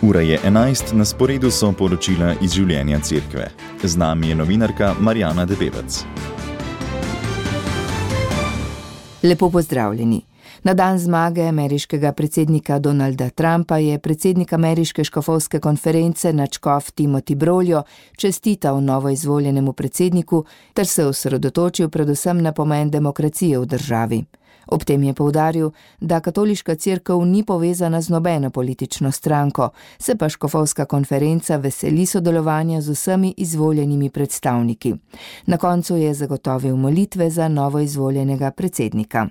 Ura je 11, na sporedu so poročila iz življenja cerkve. Z nami je novinarka Marjana Debevec. Lepo pozdravljeni. Na dan zmage ameriškega predsednika Donalda Trumpa je predsednik ameriške škofovske konference nadškof Timothy Broglio čestital novoizvoljenemu predsedniku ter se osredotočil predvsem na pomen demokracije v državi. Ob tem je poudaril, da katoliška cerkev ni povezana z nobeno politično stranko, se pa škofovska konferenca veseli sodelovanja z vsemi izvoljenimi predstavniki. Na koncu je zagotovil molitve za novoizvoljenega predsednika.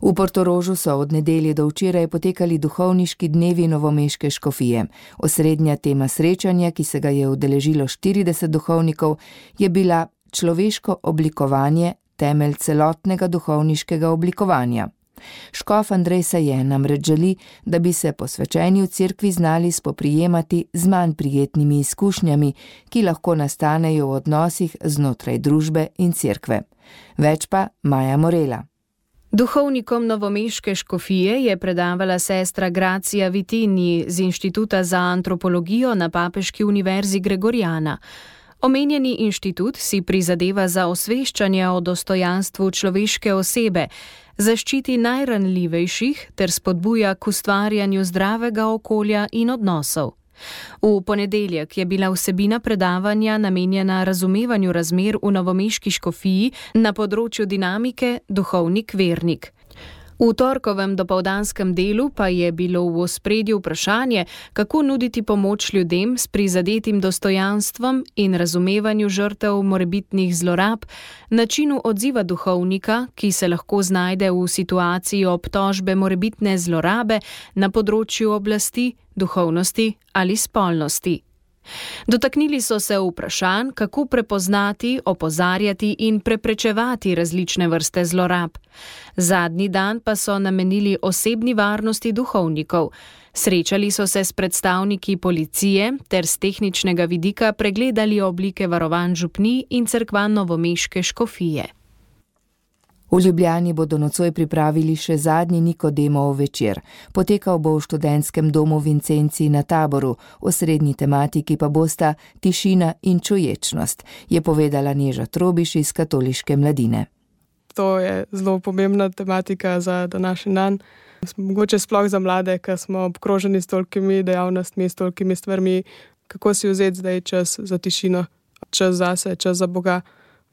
V Portorožu so od nedelje do včeraj potekali duhovniški dnevi novomeške škofije. Osrednja tema srečanja, ki se ga je udeležilo 40 duhovnikov, je bila človeško oblikovanje, temelj celotnega duhovniškega oblikovanja. Škof Andrej Saje namreč želi, da bi se posvečeni v cerkvi znali spoprijemati z manj prijetnimi izkušnjami, ki lahko nastanejo v odnosih znotraj družbe in cerkve. Več pa Maja Morela. Duhovnikom novomeške škofije je predavala sestra Gracija Vitini z Inštituta za antropologijo na Papeški univerzi Gregoriana. Omenjeni inštitut si prizadeva za osveščanje o dostojanstvu človeške osebe, zaščiti najranljivejših ter spodbuja k ustvarjanju zdravega okolja in odnosov. V ponedeljek je bila vsebina predavanja namenjena razumevanju razmer v novomeški škofiji na področju dinamike duhovnik-vernik. V torkovem dopoldanskem delu pa je bilo v ospredju vprašanje, kako nuditi pomoč ljudem s prizadetim dostojanstvom in razumevanju žrtev morebitnih zlorab, načinu odziva duhovnika, ki se lahko znajde v situaciji obtožbe morebitne zlorabe na področju oblasti, duhovnosti ali spolnosti. Dotaknili so se vprašanj, kako prepoznati, opozarjati in preprečevati različne vrste zlorab. Zadnji dan pa so namenili osebni varnosti duhovnikov. Srečali so se s predstavniki policije ter z tehničnega vidika pregledali oblike varovanj župnij in cerkva novomeške škofije. V Ljubljani bodo nocoj pripravili še zadnji Nikodemov večer. Potekal bo v študentskem domu Vincenci na Taboru, osrednji tematiki pa bosta tišina in čuječnost, je povedala Neža Trobiš iz Katoliške mladine. To je zelo pomembna tematika za današnji dan. Mogoče sploh za mlade, ker smo obkroženi s tolikimi dejavnostmi, s tolikimi stvarmi, kako si vzeti zdaj čas za tišino, čas zase, čas za Boga,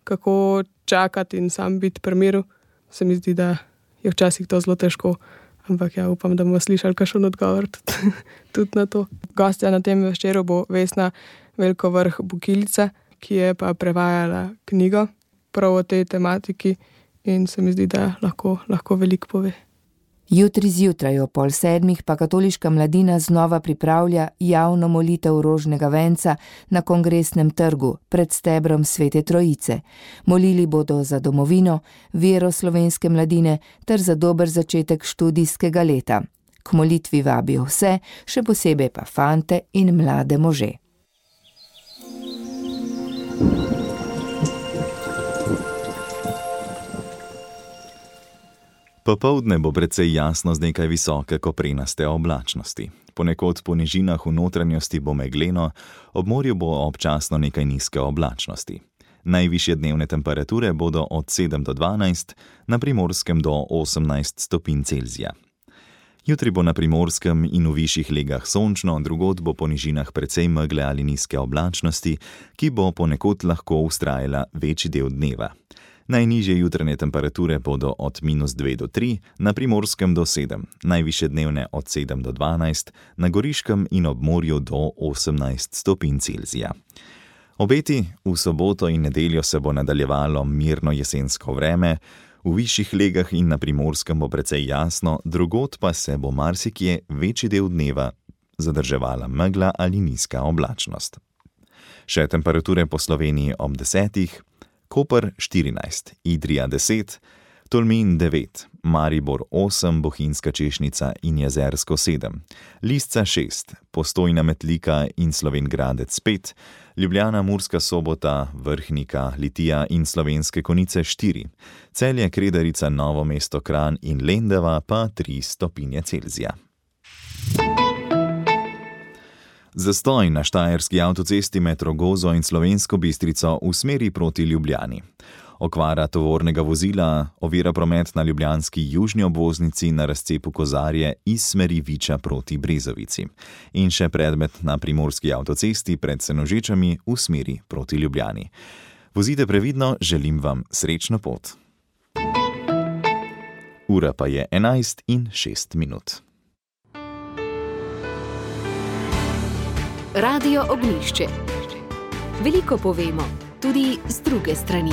kako čakati in sam biti pri miru. Se mi zdi, da je včasih to zelo težko, ampak ja, upam, da bomo slišali kakšen odgovor tudi na to. Gostja na tem večeru bo Vesna Velkovrh-Bukilica, ki je pa prevajala knjigo prav o tej tematiki in se mi zdi, da lahko veliko pove. Jutri zjutraj o 6:30 pa katoliška mladina znova pripravlja javno molitev rožnega venca na Kongresnem trgu pred stebrom Svete Trojice. Molili bodo za domovino, vero slovenske mladine ter za dober začetek študijskega leta. K molitvi vabijo vse, še posebej pa fante in mlade može. Popoldne bo precej jasno z nekaj visoke koprenaste oblačnosti. Ponekod po nižinah v notranjosti bo megleno, ob morju bo občasno nekaj nizke oblačnosti. Najvišje dnevne temperature bodo od 7 do 12, na Primorskem do 18 stopinj Celzija. Jutri bo na Primorskem in v višjih legah sončno, drugod bo po nižinah precej megle ali nizke oblačnosti, ki bo ponekod lahko vztrajala večji del dneva. Najnižje jutranje temperature bodo od -2 do 3, na Primorskem do 7, najvišje dnevne od 7 do 12, na Goriškem in ob morju do 18 stopinj Celzija. Obeti v soboto in nedeljo se bo nadaljevalo mirno jesensko vreme, v višjih legah in na Primorskem bo precej jasno, drugod pa se bo marsikje večji del dneva zadrževala megla ali nizka oblačnost. Še temperature po Sloveniji ob 10, Koper 14, Idrija 10, Tolmin 9, Maribor 8, Bohinjska Češnica in Jezersko 7, Lisca 6, Postojna Metlika in Slovenj Gradec 5, Ljubljana, Murska Sobota, Vrhnika, Litija in Slovenske Konjice 4, Celje, Kredarica, Novo mesto, Kranj in Lendava pa 3 stopinje Celzija. Zastoj na štajerski avtocesti med Rogozo in Slovensko Bistrico v smeri proti Ljubljani. Okvara tovornega vozila ovira promet na ljubljanski južni obvoznici na razcepu Kozarje iz smeri Viča proti Brezovici. In še predmet na primorski avtocesti pred Senožečami v smeri proti Ljubljani. Vozite previdno, želim vam srečno pot. Ura pa je 11:06. Radio Ognjišče. Veliko povemo, tudi z druge strani.